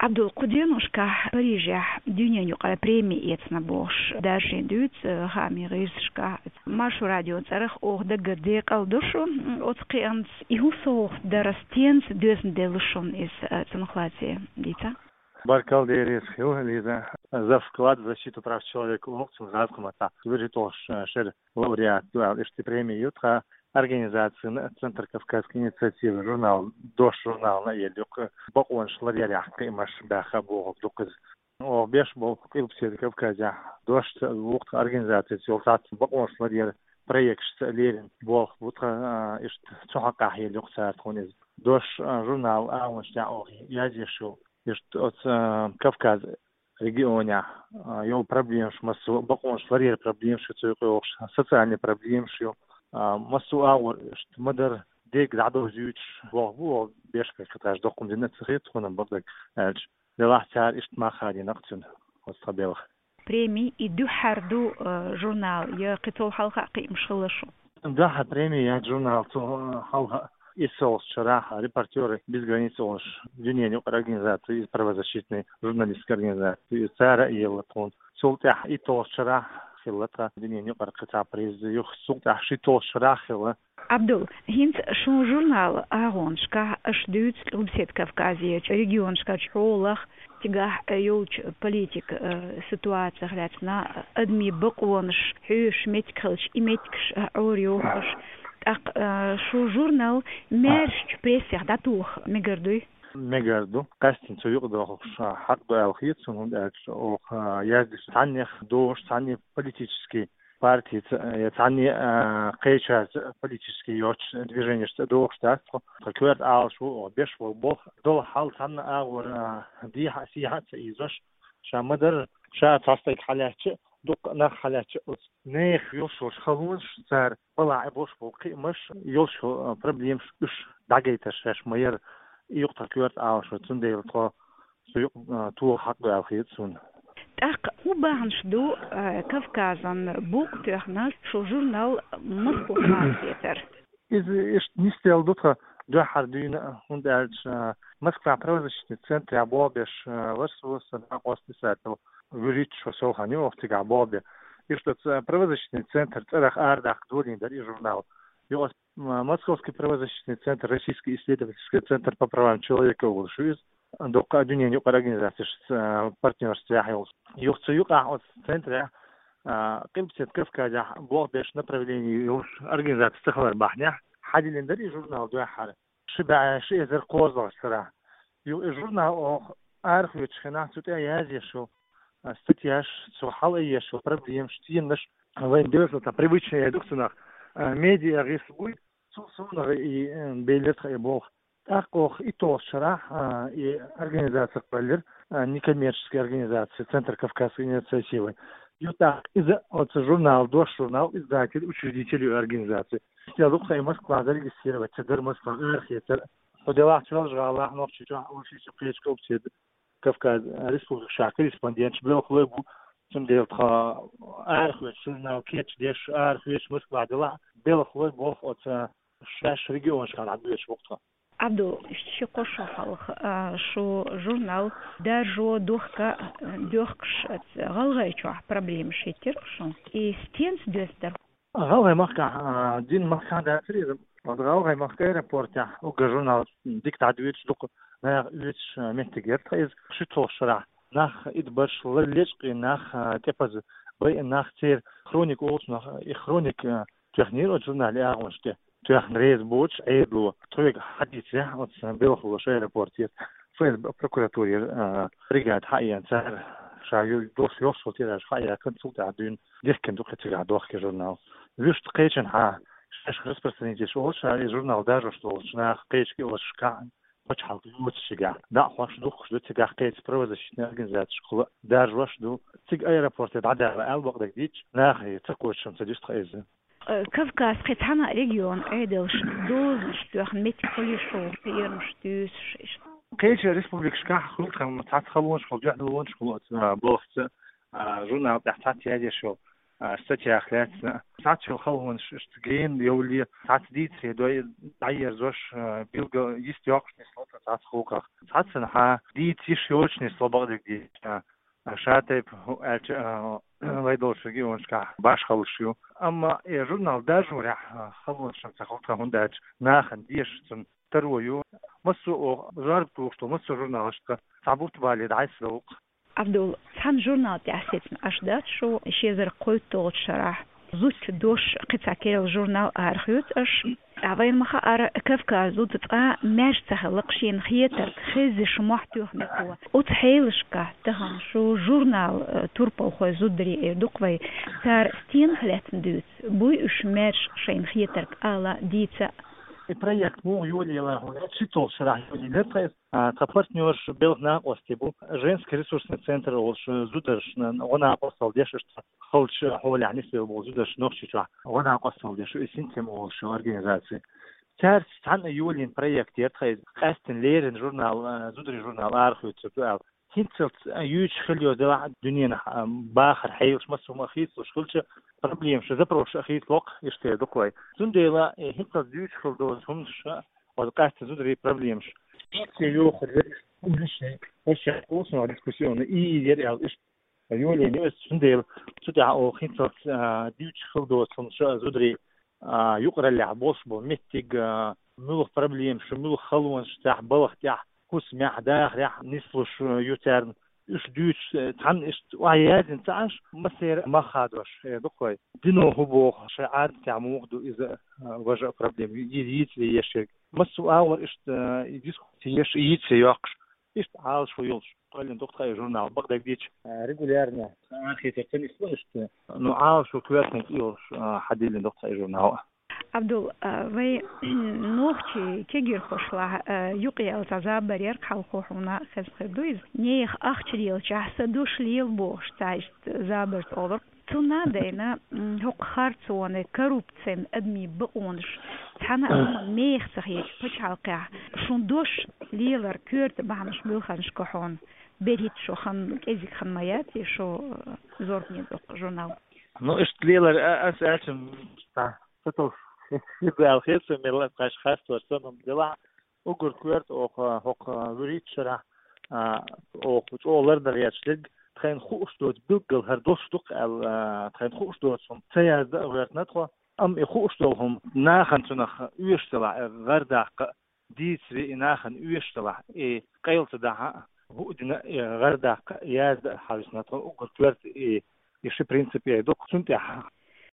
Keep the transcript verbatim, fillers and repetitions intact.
Ӏабдул, кху деношкахь Парижехь дуьненаюкъара преми эцна бохуш даржийна дуьйцу хаамийн гӀирсашкахь. Маршо радион цӀарах оха даггара декъал ду шу оцу кхиамца. И хӀун совгӀат дара, стенца доьзна делла шуна иза, цунах лаьцна дийца? Баркалла дерриг хила, Лиза. За вклад в защиту прав человека олу цунах гӀазкхийн маттахь. ВуьрхӀитталгӀачу шеран лауреат ду аьлла, иштта преми ю тхан организацина, Центр Кавказской инициативы журнал, «Дош» журнална а елла ю-кх, бакъонаш ларъярехь кхиамаш баьхна бохург ду-кх иза. Оха беш болу Къилбаседа Кавказехь «Дош» ца а ву-кх тхан организацица йолу цхьацца бакъонаш ларъяран проекташца а лерина болх бу тхан, а, иштта цу хьокъехь елла ю-кх цара тхуна иза. «Дош», а, журнал агӀонаш тӀехь оха язъеш ю иштта оцу, а, Кавказ регионехь, а, йолу проблемаш массо а, бакъонаш ларъяран проблемаш ю цу юкъа йогӀуш, социальный проблемаш ю, а, массо а агӀор иштта ма-дарра дерг дӀадовзуьйтуш болх бу оха беш, кхеташ доккха хӀума дина а ца хета тхуна, бакъдерг аьлча. Делахь цара иштта мах хадийна-кх цуьнан оцу тхан белхан. Преми и дуьххьара ду, э, журнал, я кхин цул хьалха а кхиамаш хилла шун? Дуьххьара преми яц журнал цул, э, хьалха. ИтталгӀачу шарахь «Репортёры без границ» олуш дуьненаюкъара организаци, иза правозащитный журналистская организаци, иза цара а елла тхуна. Цул тӀаьхьа итталгӀачу шарахь хилла тхан дуьненаюкъара кхин цхьа приз, юха цул тӀаьхьа шийтталгӀачу шарахь хилла. Ӏабдул, хӀинца шун журнал агӀонашкахь аша дуьйцу Къилбаседа Кавказерчу регионашкахь хьолах, цигахь йолчу политика, э, ситуацех лаьцна, адамийн бакъонаш хьоьшуш меттиг хилча, и меттигаш, э, Ӏорайохуш. ТӀаккха, э, шун журнал маьршачу прессех дӀатоха мегар дуй? Мегар ду. Къаьсттина цу юкъа дохуш хьакъ ду аьлла хета суна, хӀунда аьлча оха, э, яздеш цхьаннех дош, цхьанне политический партица, э, я цхьанне, э, кхечарца политически йоцучу движенешца дохуш дац тхо. Тхан коьрта Ӏалашо оха беш болу болх долу хьал цхьанна агӀор, э, дехьа а, сехьа а ца ийзош, ша ма-дарра, ша цхьа стаг хьалаьцча, дуккха а нах хьалаьцча, оцу нехан йолуш йолчу халонаш, цара балахь а болуш болу кхиамаш, йолуш йолу, э, проблемаш уьш дӀагайтар шаьш ма-яра, и ю-кх тхан коьрта Ӏалашо, цундела тхо цу юкъа, а, тоха хьакъ ду аьлла хета суна. ТӀаккха хӀун бахьанаш ду, а, Кавказан букъ тоьхна шун журнал Москвахь хьахетар? Иза иштта нисделла ду тхан дуьххьара дуьйна, хӀунда аьлча, а, Москвахь правозащитный центрехь болх беш, а, вара со, сан накъост писатель, вуьрхӀитта шо сов хан ю оха цигахь болх бен. Иштта оцу, а, правозащитный центр цӀарах арадаккха долийна дара и журнал. Юха ас, м-, Московский правозащитный центр, Российский исследовательский центр по правам человека олуш ю иза. Дуккха а дуьненаюкъара организацешца, а, партнёрствехь йолуш. Юха цу юкъахь оцу центрехь, а, Къилбаседа Кавказехь болх беш направлени йолуш организаци ца хилар бахьанехь, хьадиллина дара и журнал дуьххьара. Ши бӀе ши эзар кхозлагӀчу шарахь. Юха и журнал оха арахоьцучу хенахь цу тӀе язъеш йолу, а, статьяш, цо хьалаайъеш йолу проблемаш, теманаш, вайн доьзалта привычный ду-кх цунах, а, медиа гӀирс буй, цул совнаха и, э, беллира тхан и болх. ТӀаккха оха итталгӀачу шарахь, а, и организаци кхоьллира, а, некоммерческая организация Центр Кавказской инициативы. Ю тӀаккха иза оцу журнал, «Дош» журнал издатель, учредитель ю организации. Стел ду-кх тхан и Москвахь зарегистрировать ца дар, Москвахь арахецар. Хьо делахь Чолжа-ГӀалахь, Нохчийчохь, Оьрсийчохь, кхечу Къилбаседа Кавказ республикашкахь корреспонденташ белхалой бу, цундела тхан арахоьцу журнал кечдеш, арахоьцу Москвахь делахь, белхалой болх оцу шаьш регионашкахь дӀабоьдуш бу-кх тхо. Ӏабдул, ши-кхо шо хьалха, а, шун журнал даржо, дохка, а, доьхкуш, а, ГӀалгӀайчохь проблемаш хӀиттира-кх шун. И стенца доьзна дара? ГӀалгӀай махкахь, а, дина махкахь дацара иза. Оцу ГӀалгӀай махка аэропортехь уггар журнал дика дӀадоьдуш, дукха наха оьцуш, а, меттиг яра тхан иза. ШийтталгӀачу шарахь нах идбарш, лечкъийна нах, а, тӀепаза байина нах, церан хроника олучу нах, и хроника, а, тоьхнера оцу журналан агӀонаш тӀе. Тоьхна реза боцуш Ӏедало, тхоьга хьадийцарехь, оцу белхалоша аэропортера, ФСБ, прокуратурера, а, бригада хьаеана, цара ша ю-, долуш йолуш йолу тираж хьаяьккхина, цул тӀаьхьа дуьйна дихкина ду-кх и цигахь дохка журнал. Вуьшта кхечанхьа, шаьш распространителаш олуш, ша и журнал даржош долчу наха кхечу кӀирлашкахь, пачхьалкх йоцучигахь, дӀа а хьош духкуш ду, цигахь кхечу правозащитный организацешкахула даржош ду. Цига аэропорте дӀадала аьлла бакъдерг дийцча, нахе ца кхочушам ца дуьсу тхан иза. Э, Кавказ кхин цхьана а регион Ӏедалш дозанаш тоьхна меттиг хуьлу шун, кхерамаш туьйсуш иштта? Кхечу республикашкахь хуьлу тхан цхьацца халонаш хуьлу, дуьхьалонаш хуьлу оцу, а, балхаца, а, журнал тӀехь цхьацца язъеш йолу. а, статьях лаьцна. Цхьацца халонаш иштта гена йовле, цхьацца дийцаре дой дӀаерзош, а, билггал йист йоккхуш нисло цхьацца гӀулакхах. Цхьаццанхьа дийца йиш йоцуш нисло бакъдерг дийца. А, ша тайпа хӀу аьлча, а, вай долчу регионашкахь башхаллаш ю. Амма и журнал даржорехь, а, халонаш ца хилча, хӀунда аьлча нахана дезаш цунна таро ю. Массо а оха зорба тухуш ду, массо а журналашка цхьа бутт бале дӀасадовлу. Абдул, цхьана журнал тӀехь сецна Ӏаш дац шу, ши эзар кхойтталгӀачу шарахь. Зудчун дош кхин цхьа керла журнал арахоьцу аша. Ткъа вайна ма-хаъара, Кавказ зуда цкъа маьрша ца хилла-кх шена хетарг, хезза шу мохь тоьхна кхо. Оцу хьелашкахь тахана шу журнал, э, турпалхой зударий эр ду-кх вай. Цара стенах лаьцна дуьйцу? Буй уьш маьрша шайна хетарг ала, дийца? И проект муха йолаелла хьуна, ши толгӀа шарахь йолаелла тхайса. А, тхан партнерш белхан накъостий бу, женский ресурсный центр олуш, зударшна гӀо-накъосталла деш, иштта халчу хьолехь нисвелла болу зударш Нохчийчохь гӀо-накъосталла деш, и «Синтем» олуш организаци. Цаьрца цхьаьна йолийна проект яра тхайн, къаьсттина леррина журнал, а, зударий журнал арахоьцур ду аьлла. ХӀинццалц, а, юьйцуш хила йолу делахь а дуьненахь, а, бахар хьелаш массо а хийцалуш хилча, проблемаш, запросаш а хийцало-кх, иштта ду-кх вай. Цундела, э, хӀинццалц дуьйцуш хила долу хӀуманаш а, оцу къаьсттина зударийн проблемаш. Иштта йохур яра, угришни, вообще, вкусно дискуссионный, и яра аьлла, иштта йолийна ю иза, цундела цу тӀехь оха хӀинццалц, а, дуьйцуш хила доцу хӀуманаш а зударийн, а, юкъараллехь болуш болу меттиг, а, муьлха проблемаш, муьлха халонаш цхьа балха тӀехь, хӀусамехь, дахарехь нислуш, а, ю царна. Уьш дуьйцуш, э, цхьанна иштта охьаяздина ца Ӏаш, массеран а мах хадош, э, ду-кх вай. Дино хӀун боху, шайн Ӏадатехь муха ду иза, а, важа а проблема, и-, йийцале еш ерг. Массо а агӀор иштта, а, и дискусси еш, и йийцале йоккхуш, иштта Ӏалашо йолуш кхоьллина ду-кх тхан и журнал. Бакъдерг дийцича, а, регулярно арахецар ца нисло иштта, ну, Ӏалашо коьртаниг йолуш, а, хьадиллина ду-кх тхан и журнал. Абдул, а, вай нохчийн кегирхошлахь, а, юкъаяьлла цхьа забар яра-кх хьалхо, хьуна а хезна хир ду иза. Нехан ахча лелачохь сан дош лела бохуш, цхьа иштта забарца олура. Цунна а дайна, м, хӀокху харцонан, коррупцин, адамийн бакъонаш, цхьана а хӀуманна меха ца хеташ пачхьалкхехь, шун дош лелар коьрта бахьанаш, муьлханаш ю хьуна? БерхӀитта шу хан, кӀезиг хан ма яц и шу, э, зорбане доккху журнал? Ну, иштта лелар, а, ас аьлча, м, цхьа, цхьа тов хир ду аьлла хета суна, мел а кхаш харцонаш санна хӀума делахь, уггар коьрта оха, хӀокху вуьрхӀитта шарахь, а, оха чӀогӀа лардар еш дерг, тхайна хууш доцу билггал хӀара дош ду-кх аьлла, а, тхайна хууш доцу хӀума ца яздан а гӀоьртина тхо. Амма и хууш долу хӀума нахана цунах оьшуш делахь, гӀардаккха а, дийцаре и нахана оьшуш делахь, и къайла ца дахьа а, хӀуъа дина а, и гӀардаккха а, яздан а хьовсийна тхо уггар коьрта и, и ши принцип яй ду-кх. Цунна тӀехь